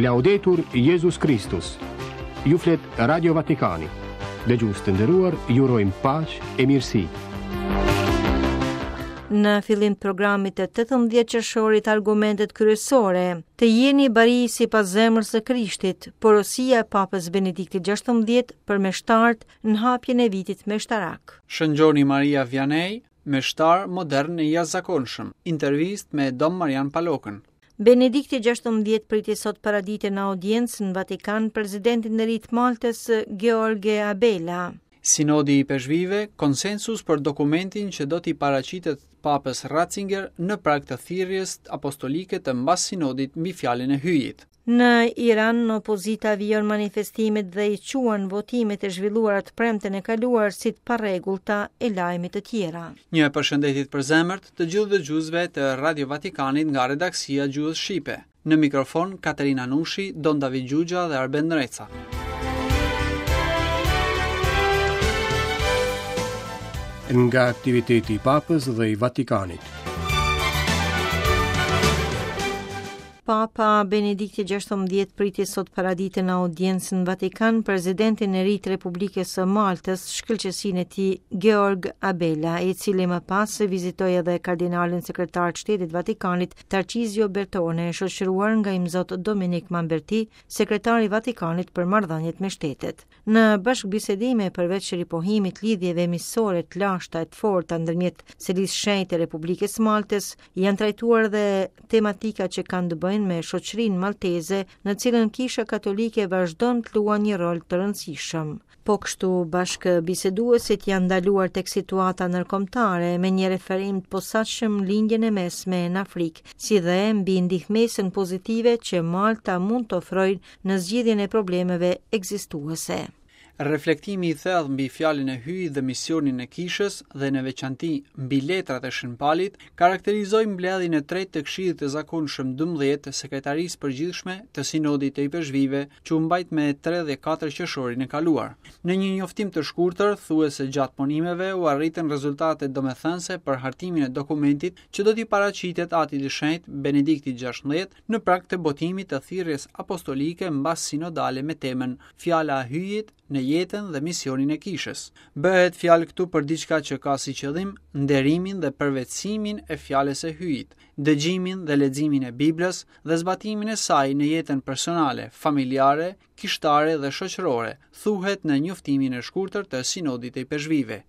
Laudetur Jezus Kristus. Ju flet Radio Vatikani. Dëgjues të nderuar, ju urojmë paqe e mirësi. Në fillim të programit të 18 qershorit argumentet kryesore, të jeni bari sipas zemrës së Krishtit, porosia e Papës Benediktit XVI për meshtarët në hapjen e vitit meshtarak. Shën Gjoni Maria Vianney, meshtar modern e i jashtëzakonshëm. Intervistë me Dom Marian Palokën. Benedikti XVI priti sot paradite në audiencë në Vatikan presidentin e ri të Maltës, George Abela. Sinodi i Ipeshkvijve, konsensus për dokumentin që do t'i paraqitet Papës Ratzinger në prag të thirrjes apostolike të mbas sinodit mbi fjalën e Hyjit. Në Iran, opozita vijon manifestimet dhe i quan votimet e zhvilluara të premten e kaluar si të parregullta e lajme të tjera. Një përshëndetje të përzemërt të gjithë dëgjuesve të Radio Vatikanit nga redaksia e Gjuhës Shqipe. Në mikrofon Katerina Nushi, Don David Xhuxha dhe Arben Ndreca. Nga aktiviteti i Papës dhe i Vatikanit. Papa Benedikti XVI priti sot paradite në audiencë në Vatikan presidentin e ri të Republikës së Maltës, shkëlqesinë e tij Georg Abela, i cili më pas vizitoi edhe kardinalin sekretar të Shtetit të Vatikanit, Tarcizio Bertone, shoqëruar nga imzot Dominik Mamberti, sekretar i Vatikanit për marrëdhëniet me shtetet. Në bashkëbisedime përveç ripohimit lidhjeve miqësore të lashta e të forta ndërmjet Selisë së Shenjtë e Republikës së Maltës, janë trajtuar dhe tematika që kanë të bëjnë me shoqërinë malteze, në cilën Kisha Katolike vazhdon të luan një rol të rëndësishëm. Po kështu, bashkëbiseduesit janë ndaluar tek situata ndërkombëtare me një referim të posaçëm Lindjen e Mesme në Afrikë, si dhe mbi ndihmesën pozitive që Malta mund të ofrojë në zgjidhjen e problemeve ekzistuese. Reflektimi i thellë mbi fjalën e Hyjit dhe misionin e Kishës dhe në veçanti mbi letrat e Shën Palit karakterizoi mbledhjen e tretë të Këshillit të Zakonshëm 12 të Sekretarisë së Përgjithshme të Sinodit të Ipeshkvijve që u mbajt me 3 dhe 4 qershorin e kaluar. Në një njoftim të shkurtër thuhet se gjatë punimeve u arritën rezultate domethënëse për hartimin e dokumentit që do t'i paraqitet Atit të Shenjtë Benediktit XVI në prag të botimit të thirrjes apostolike mbas sinodale me temën Fjala e Hyjit në jetën dhe misionin e Kishës. Bëhet fjalë këtu për diçka që ka si qëllim nderimin dhe përvetësimin e fjalës së Hyjit, dëgjimin dhe leximin e Biblës dhe zbatimin e saj në jetën personale, familjare, kishtare dhe shoqërore, thuhet në njoftimin e shkurtër të Sinodit të Ipeshkvijve.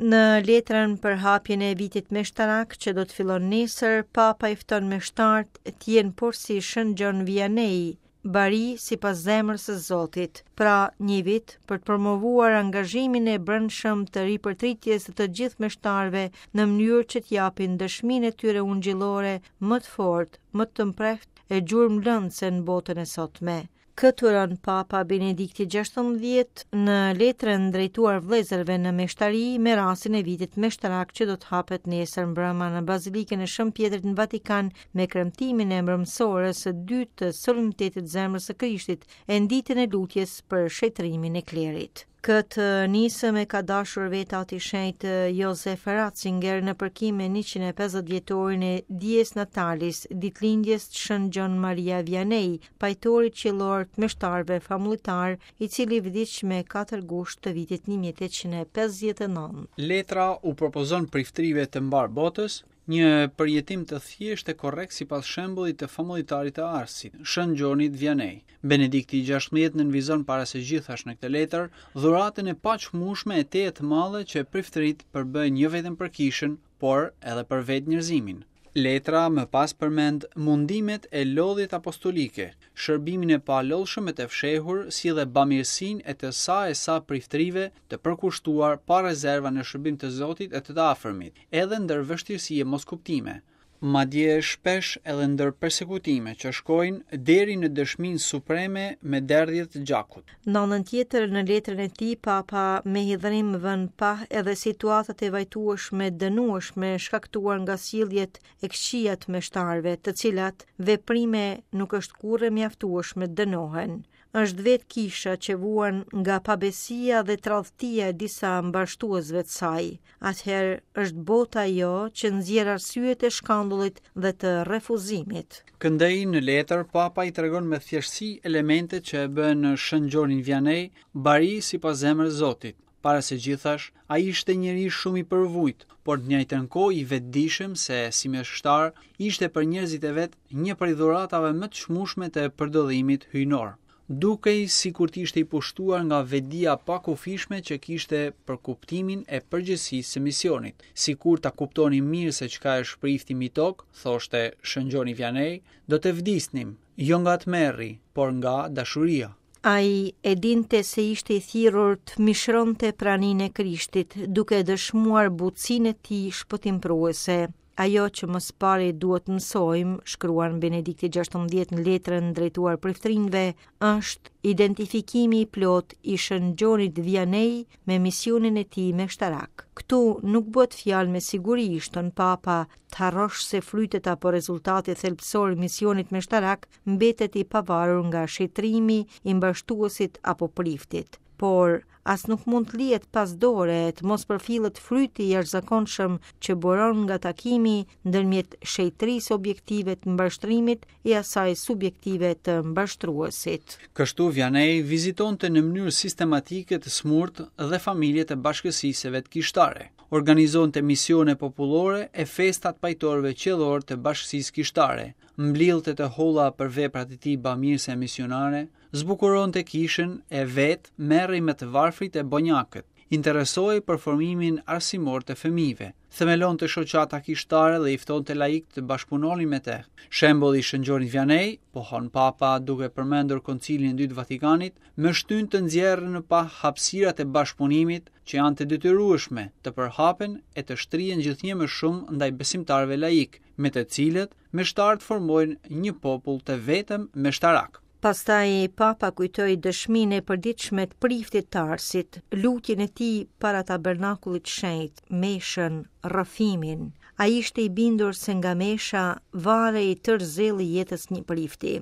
Në letrën për hapjen e vitit meshtarak që do të fillon nesër, Papa i fton meshtarët të jenë porsi Shën Gjon Vianney, bari sipas zemrës së Zotit, pra një vit për të promovuar angazhimin e brendshëm të ripërtritjes së të gjithë meshtarëve në mënyrë që të japin dëshminë e tyre ungjillore më të fortë, më të mprehtë e gjurmëlënëse në botën e sotme. Këtë uron Papa Benedikti XVI në letrën drejtuar vëllezërve në meshtari me rastin e vitit meshtarak që do të hapet nesër mbrëma në Bazilikën e Shën Pjetrit në Vatikan me kremtimin e mbrëmësores së dytë të solemnitetit të Zemrës së Krishtit e në ditën e lutjes për shenjtërimin e klerit. Këtë nismë e ka dashur vetë Ati i Shenjtë Josef Ratzinger në përkim me 150 vjetorin e Dies Natalis, ditëlindjes të Shën Gjon Maria Vianney, pajtorit qiellor të meshtarëve famullitarë, i cili vdiq me 4 gusht të vitit 1859. Letra u propozon priftërive të mbarë botës Një përjetim të thjeshtë e korrekt sipas shembullit të famullitarit të Arsit, Shën Gjonit Vianney. Benedikti i XVI nënvizon para së gjithash në këtë letër dhuratën e paçmueshme e tejet të madhe që priftëritë përbëjnë jo vetëm për kishën, por edhe për vetë njerëzimin. Letra më pas përmend mundimet e lodhjet apostolike, shërbimin e palodhshëm e të fshehur, si dhe bamirësinë e të sa e sa priftërive të përkushtuar pa rezerva në shërbim të Zotit e të të afërmit, edhe ndër vështirësi e moskuptime, madje shpesh edhe ndër persekutime që shkojnë deri në dëshminë supreme me derdhje të gjakut. Në anën tjetër, në letrën e tij, Papa me hidhërim vë në pah edhe situatat e vajtueshme, dënueshme, shkaktuar nga sjelljet e këqija të meshtarëve, të cilat veprime nuk është kurrë e mjaftueshme të dënohen. Është vetë kisha që vuan nga pabesia dhe tradhtia e disa mbarështuesve të saj. Atëherë është bota ajo që nxjerr arsyet e shkandullit dhe të refuzimit. Këndej në letër, Papa i tregon me thjeshtësi elementet që e bënë Shën Gjonin Vianney bari sipas zemrës Zotit. Para së gjithash, ai ishte njeri shumë i përvujt, por në të njëjtën kohë i vetëdijshëm se si meshtar ishte për njerëzit e vet një prej dhuratave më të çmueshme të përdëllimit hyjnor. Dukej sikur të ishte i pushtuar nga vetëdija e pakufishme që kishte për kuptimin e përgjegjësisë së misionit. Sikur ta kuptonim mirë se çka është prifti mbi tokë, thoshte Shën Gjoni Vianney, do të vdisnim, jo nga tmerri, por nga dashuria. Ai e dinte se ishte i thirrur të mishëronte praninë e Krishtit, duke dëshmuar butësinë e tij shpëtimprurëse. Ajo që më së pari duhet të mësojmë, shkruan Benedikti 16 në letrën drejtuar priftërinjve, është identifikimi i plotë i Shën Gjonit Vianney me misionin e tij meshtarak. Këtu nuk bëhet fjalë me siguri, shton Papa, të harrosh se frytet apo rezultati thelbësor i misionit meshtarak mbetet i pavarur nga shenjtërimi i mbarështuesit apo priftit. Por, as nuk mund të lihet pas dore e të mos përfillet fryti i jashtëzakonshëm që buron nga takimi ndërmjet shenjtërisë objektive të mbarështrimit e asaj subjektive të mbarështruesit. Kështu Vianney vizitonte në mënyrë sistematike të sëmurët dhe familjet e bashkësisë së vet kishtare. Organizonte misione popullore e festa të pajtorëve qiellorë të bashkësisë kishtare, mblidhte të holla për veprat e tij bamirëse e misionare, zbukuronte kishën e vetë merrej me të varfrit e bonjakët, interesohej për formimin arsimor të fëmijëve, themelonte shoqata kishtare dhe i ftonte laikët të bashkëpunonin me të. Shembulli i Shën Gjonit Vianney, pohon Papa duke përmendur Koncilin e Dytë të Vatikanit, më shtyn të nxjerr në pah hapësirat e bashkëpunimit që janë të detyrueshme të përhapen e të shtrihen gjithnjë më shumë ndaj besimtarëve laikë, me të cilët meshtarët formojnë një popull të vetëm meshtarak. Pastaj Papa kujtoi dëshminë e përditshme të priftit të Arsit, lutjen e tij para tabernakullit të shenjtë, meshën, rrëfimin. Ai ishte i bindur se nga mesha varej tërë zelli i jetës së një prifti.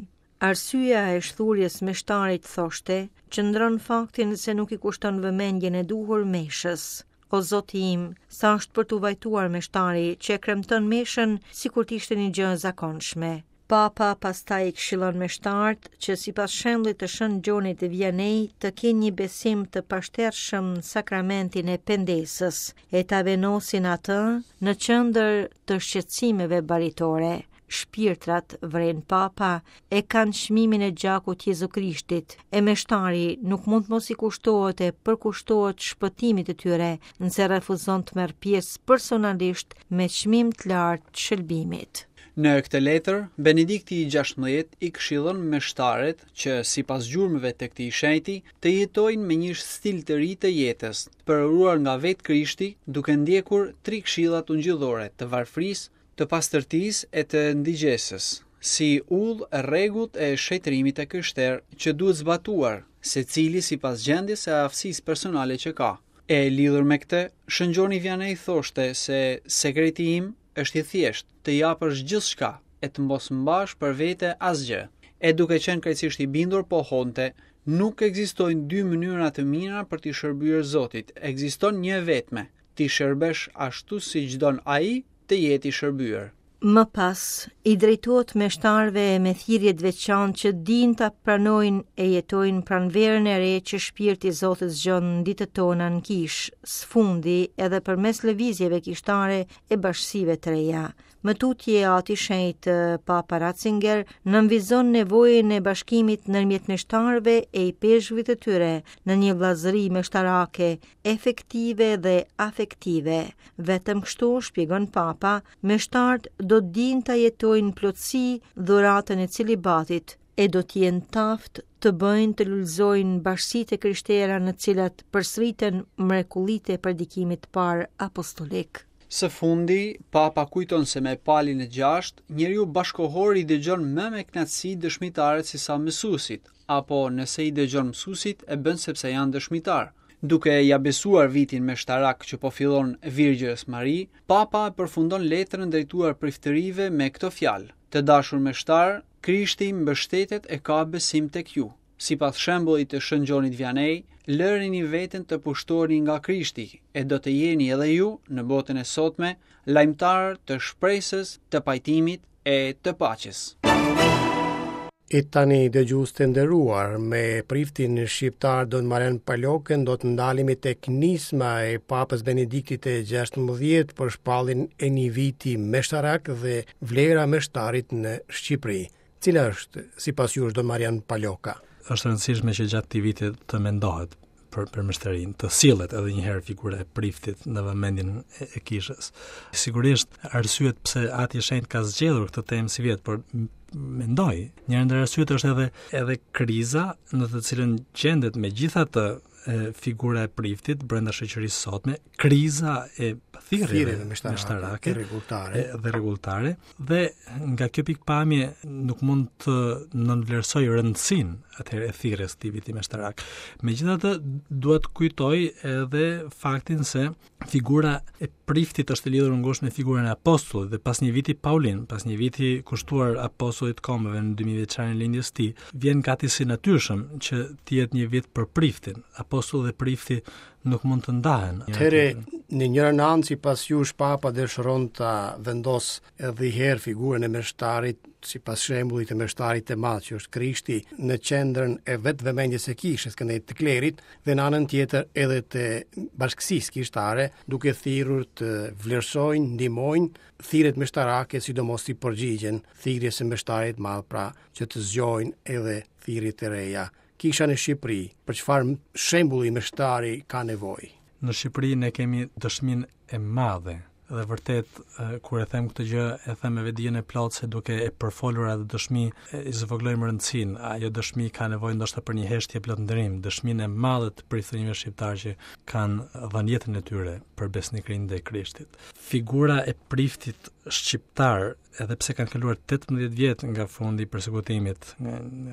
Arsyeja e shthurjes së meshtarit, thoshte, qëndron në faktin se nuk i kushton vëmendjen e duhur meshës. O Zoti im, sa është për t'u vajtuar meshtari që e kremton meshën sikur të ishte një gjë e zakonshme. Papa pastaj i këshillon meshtarët që sipas shembullit të Shën Gjonit Vianney të kenë një besim të pashtershëm në sakramentin e pendesës e ta vendosin atë në qendër të shqetësimeve baritore. Shpirtrat, vren Papa, e kanë çmimin e gjakut të Jezu Krishtit, e meshtari nuk mund të mos i kushtohet e përkushtohet shpëtimit të tyre, nëse refuzon të merr pjesë personalisht me çmim të lartë të shëlbimit. Në këtë letër, Benedikti i 16 i këshillon meshtarët që, sipas gjurmëve të këtij shenjti, të jetojnë me një stil të ri të jetës, të përuruar nga vetë Krishti, duke ndjekur tri këshillat ungjillore të varfërisë, të pastërtisë e të ndigjesës, si udhë e rregullt e shenjtërimit të krishterë që duhet zbatuar, secili sipas gjendjes e aftësisë personale që ka. E lidhur me këtë, Shën Gjoni Vianney thoshte se sekreti im është i thjeshtë, të japësh gjithçka e të mos mbash për vete asgjë. E duke qenë krejtësisht i bindur pohonte, nuk ekzistojnë dy mënyra të mira për t'i shërbyer Zotit, ekziston një e vetme, t'i shërbesh ashtu siç don ai të jetë i shërbyer. Më pas, i drejtohet meshtarëve me thirrje të veçantë që dinë ta pranojnë e jetojnë pranverën e re që shpirti i Zotit zgjon në ditët tona në kishë, së fundi edhe përmes lëvizjeve kishtare e bashkësive të reja. Më tutje Ati i Shenjtë Papa Ratzinger nënvizon nevojën e bashkimit ndërmjet meshtarëve e ipeshkvit të tyre në një vëllazëri meshtarake efektive dhe afektive. Vetëm kështu, shpjegon Papa, meshtarët do të dinë ta jetojnë në plotësi dhuratën e celibatit e do të jenë të aftë të bëjnë të lulëzojnë bashkësitë e krishtera në të cilat përsëriten mrekullitë e predikimit të parë apostolik. Së fundi, Papa kujton se me Palin e gjashtë, njeriu bashkëkohor i dëgjon më me kënaqësi dëshmitarët sesa mësuesit, apo nëse i dëgjon mësuesit e bën sepse janë dëshmitarë. Duke ia besuar vitin meshtarak që po fillon Virgjërës Mari, Papa e përfundon letrën drejtuar priftërive me këto fjalë: Të dashur meshtarë, Krishti mbështetet e ka besim tek ju. Sipas shembullit të Shën Gjonit Vianney, lëreni veten të pushtoheni nga Krishti e do të jeni edhe ju në botën e sotme lajmëtarë të shpresës, të pajtimit e të paqes. E tani dëgjues të nderuar, me priftin shqiptar Don Marian Palokën do të ndalemi tek nisma e Papës Benediktit të 16 për shpalljen e një viti meshtarak dhe vlera e meshtarit në Shqipëri. Cila është, sipas jush, Don Marian Paloka? Është e rëndësishme që gjatë këtij viti të mendohet për për meshtarinë, të sillet edhe një herë figura e priftit në vëmendjen e, e kishës. Sigurisht arsyet pse Ati i Shenjtë ka zgjedhur këtë temë sivjet, por mendoj, njëra ndër arsyet është edhe edhe kriza në të cilën gjendet megjithatë figura e priftit brenda shoqërisë sotme, kriza e thirrjeve meshtarake rregulltare dhe rregulltare dhe nga kjo pikëpamje nuk mund të nënvlerësoj rëndësinë atëherë e thirrjes këtij viti meshtarak. Megjithatë, dua të kujtoj edhe faktin se figura e priftit është e lidhur ngushtë me figurën e apostullit dhe pas një viti Paulin, pas një viti kushtuar apostullit të kombeve në 2000 vjeçarin e lindjes së tij, vjen gati si natyrshëm që të jetë një vit për priftin. Apostulli dhe prifti nuk mund të ndahen. Atëherë, në njërën anë sipas jush Papa dëshiron ta vendosë edhe një herë figurën e meshtarit, sipas shembullit të meshtarit të madh që është Krishti, në qendrën e vetë vëmendjes së kishës, këndej të klerit, dhe në anën tjetër edhe të bashkësisë kishtare, duke thirrur të vlerësojnë, ndihmojnë thirrjet meshtarake, sidomos t'i përgjigjen thirrjes së meshtarit të madh, pra që të zgjojnë edhe thirrje të reja. Kisha në Shqipëri, për çfarë shembulli meshtari ka nevojë? Në Shqipëri ne kemi dëshminë e madhe dhe vërtet kur e them këtë gjë e them me vetëdijen e plotë se duke e përfolur atë dëshmi i zvogëlojmë rëndësinë. Ajo dëshmi ka nevojë ndoshta për një heshtje plot nderim, dëshminë e madhe të priftërinjve shqiptarë që kanë dhënë jetën e tyre për besnikërinë ndaj Krishtit. Figura e priftit shqiptar, edhe pse kanë kaluar 18 vjet nga fundi i persekutimit,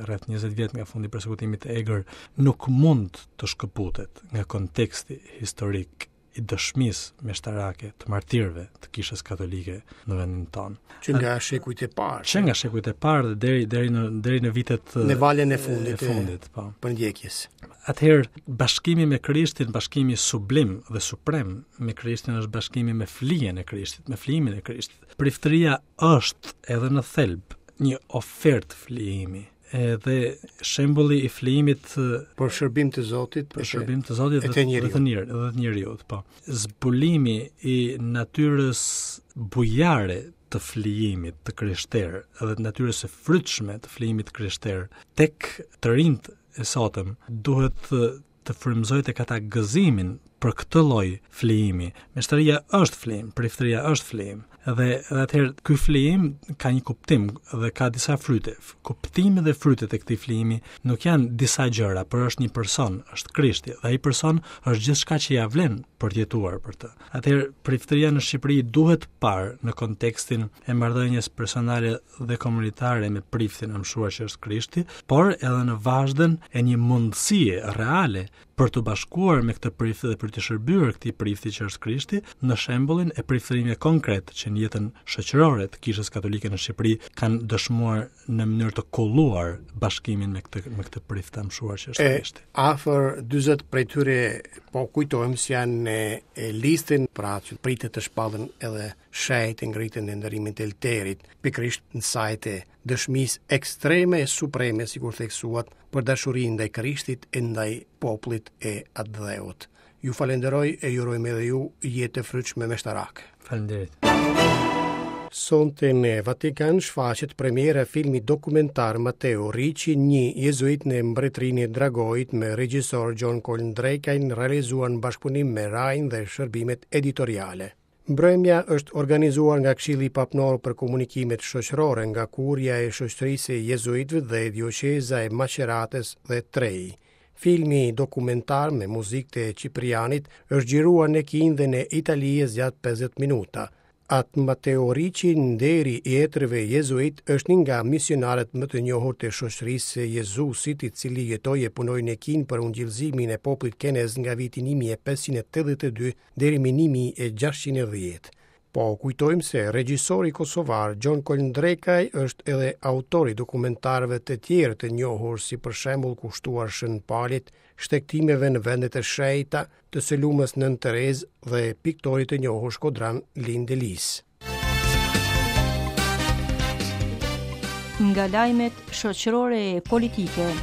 rreth 20 vjet nga fundi i persekutimit të egër, nuk mund të shkëputet nga konteksti historik i dëshmisë meshtarake të martirëve të Kishës Katolike në vendin tonë. Që nga shekujt e parë. Që nga shekujt e parë dhe deri deri në deri në vitet në valën e fundit, e fundit, po. Përndjekjes. Atëherë bashkimi me Krishtin, bashkimi sublim dhe suprem me Krishtin është bashkimi me flijen e Krishtit, me flijimin e Krishtit. Priftëria është edhe në thelb një ofertë flijimi edhe shembulli i flijimit për shërbim të Zotit, për shërbim të Zotit dhe të njeriut, dhe të njeriut, dhe të njeriut, po. Zbulimi i natyrës bujare të flijimit të krishterë dhe të natyrës së frytshme të flijimit të krishterë tek të rinjtë e sotëm duhet të frymëzojë tek ata gëzimin për këtë lloj flijimi. Meshtaria është flijim, priftëria është flijim. Dhe dhe atëherë ky flijim ka një kuptim dhe ka disa fryte. Kuptimi dhe frytet e këtij flijimi nuk janë disa gjëra, por është një person, është Krishti dhe ai person është gjithçka që ia vlen për të jetuar për të. Atëherë priftëria në Shqipëri duhet parë në kontekstin e marrëdhënies personale dhe komunitare me priftin e amshuar që është Krishti, por edhe në vazhdën e një mundësie reale për t'u bashkuar me këtë prift dhe për t'i shërbyer këtij prifti që është Krishti, në shembullin e priftërinjve konkretë që në jetën shoqërore të Kishës Katolike në Shqipëri kanë dëshmuar në mënyrë të kulluar bashkimin me këtë me këtë prift të amshuar që është Krishti. Afër 40 prej tyre po kujtojmë se janë në listën pra që pritet të shpallen edhe shenjtë e ngriten në nderimin të oltarit, pikërisht në sajë të dëshmisë ekstreme e supreme, sikur theksuat, për dashurinë ndaj Krishtit e ndaj popullit e atdheut. Ju falenderoj e ju urojmë edhe ju jetë të frytshme meshtarake. Faleminderit. Sonte në Vatikan shfaqet premiera e filmit dokumentar Mateo Ricci, një jezuit në mbretërinë e Dragoit me regjisor Gjon Kol Ndrekajn, realizuar në bashkëpunim me RAI-n dhe shërbimet editoriale. Mbrëmja është organizuar nga Këshilli Papnor për Komunikimet Shoqërore, nga Kuria e Shoqërisë së Jezuitëve dhe Dioqeza e Maceratës dhe Trei. Filmi dokumentar me muzikë të Ciprianit është xhiruar në Kinë dhe në Itali e zgjat 50 minuta. At Mateo Ricci, nderi i etërve jezuitë, është një nga misionarët më të njohur të Shoqërisë së Jezusit, i cili jetoi e punoi në Kinë për ungjillëzimin e popullit kinez nga viti 1582 deri më 1610. Po kujtojmë se regjisori kosovar Gjon Kolndrekaj është edhe autor i dokumentarëve të tjerë të njohur si për shembull kushtuar Shën Palit, shtegtimeve në vendet e shenjta, të së lumës Nënë Terezë dhe piktorit të njohur shkodran Lin Delisë. Nga lajmet shoqërore e politike.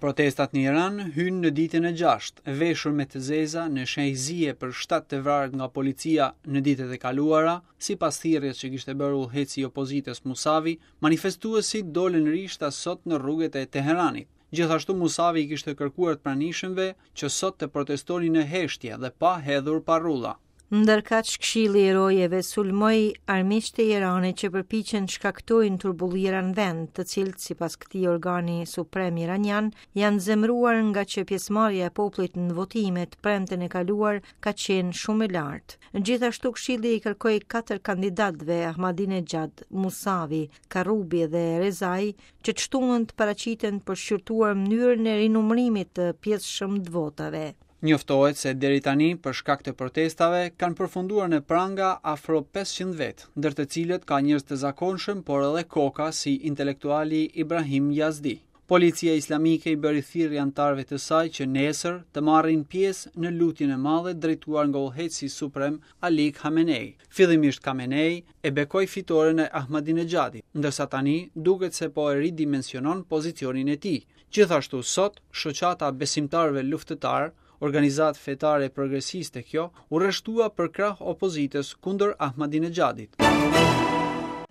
Protestat në Iran hynë në ditën e gjashtë, veshur me të zeza në shenjë zie për 7 të vrarët nga policia në ditët e kaluara, sipas thirrjes që kishte bërë udhëheqësi i opozitës Musavi, manifestuesit dolën rishtas sot në rrugët e Teheranit. Gjithashtu Musavi i kishte kërkuar të pranishëmve që sot të protestonin në heshtje dhe pa hedhur parrulla. Ndërkaq, Këshilli i Rojeve sulmoi armiqtë e Iranit që përpiqen të shkaktojnë turbullira në vend, të cilët sipas këtij organi suprem iranian janë zemëruar ngaqë pjesëmarrja e popullit në votime të premten e kaluar ka qenë shumë e lartë. Gjithashtu Këshilli i kërkoi katër kandidatëve Ahmadinejad, Musavi, Karrubi dhe Rezai që të shtunën të paraqiten për shqyrtuar mënyrën e rinumërimit të pjesshëm të votave. Njoftohet se deri tani, për shkak të protestave, kanë përfunduar në pranga afro 500 vetë, ndër të cilët ka njerëz të zakonshëm, por edhe koka si intelektuali Ibrahim Yazdi. Policia islamike i bëri thirrje anëtarëve të saj që nesër të marrin pjesë në lutjen e madhe drejtuar nga udhëheqësi suprem Ali Khamenei. Fillimisht Khamenei e bekoi fitoren e Ahmadinejadit, ndërsa tani duket se po e ridimensionon pozicionin e tij. Gjithashtu sot, Shoqata e Besimtarëve Luftëtarë, organizatë fetare progresiste kjo, u rreshtua përkrah opozitës kundër Ahmadinejadit.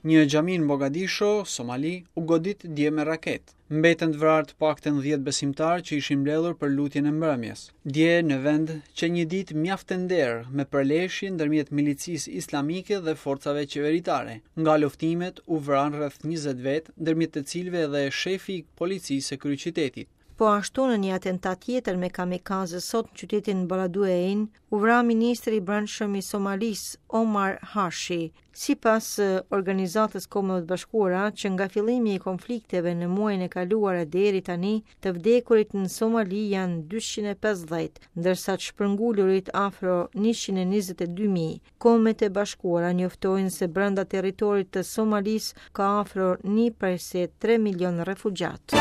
Një xhami në Mogadisho, Somali, u godit dje me raketë. Mbetën të vrarë të paktën 10 besimtarë që ishin mbledhur për lutjen e mbrëmjes. Dje në vend qe një ditë mjaft e nderë me përleshje ndërmjet milicisë islamike dhe forcave qeveritare. Nga luftimet u vranë rreth 20 vetë, ndërmjet të cilëve edhe shefi i policisë së kryeqytetit. Po ashtu në një atentat tjetër me kamikaze sot në qytetin Beledweyne, u vra ministri i Brendshëm i Somalisë, Omar Hashi. Sipas Organizatës Kombeve të Bashkuara, që nga fillimi i konflikteve në muajin e kaluar e deri tani, të vdekurit në Somali janë 250, ndërsa të shpërngulurit afro 122.000. Kombet e Bashkuara njoftojnë se brenda territorit të Somalisë ka afro 1.3 milion refugjatë.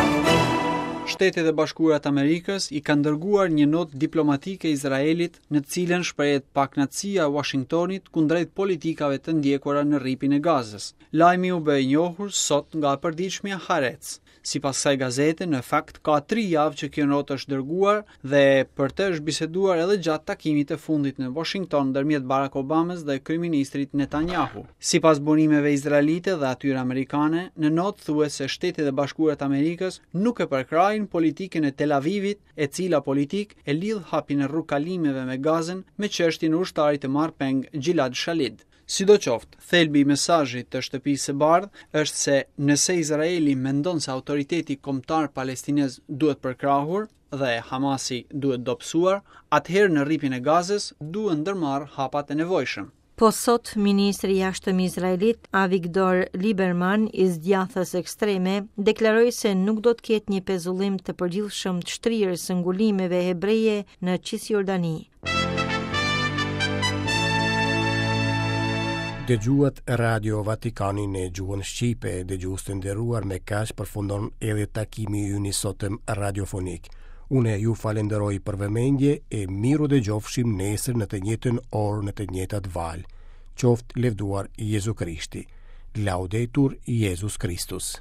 Shtetet e Bashkuara të Amerikës i kanë dërguar një notë diplomatike Izraelit në të cilën shprehet pakënaqësia e Washingtonit kundrejt politikave të ndjekura në Rripin e Gazës. Lajmi u bë i njohur sot nga e përditshmja Haaretz. Sipas kësaj gazete, në fakt ka tri javë që kjo notë është dërguar dhe për të është biseduar edhe gjatë takimit të fundit në Washington ndërmjet Barack Obamës dhe kryeministrit Netanyahu. Sipas burimeve izraelite dhe atyre amerikane, në notë thuhet se Shtetet e Bashkuara të Amerikës nuk e përkrahin politikën e Tel Avivit, e cila politikë e lidh hapjen e rrugëkalimeve me Gazën me çështjen e ushtarit të marrë peng Gilad Shalit. Sidoqoftë, thelbi i mesazhit të Shtëpisë së Bardhë është se nëse Izraeli mendon se autoriteti kombëtar palestinez duhet përkrahur dhe Hamasi duhet dobësuar, atëherë në Rripin e Gazës duhen ndërmarrë hapat e nevojshëm. Po sot, ministri i jashtëm izraelit, Avigdor Lieberman, i së djathtës ekstreme, deklaroi se nuk do të ketë një pezullim të përgjithshëm të shtrirjes së ngulimeve hebreje në Cisjordani. Dëgjuat Radio Vatikanin në gjuhën shqipe, dëgjues të nderuar me kaq përfundon edhe takimi ynë i sotëm radiofonik. Unë ju falenderoj për vëmendje e mirudëgjofshim nesër në të njëjtën orë në të njëjtat valë. Qoftë lëvduar Jezu Krishti. Laudetur Jezus Kristus.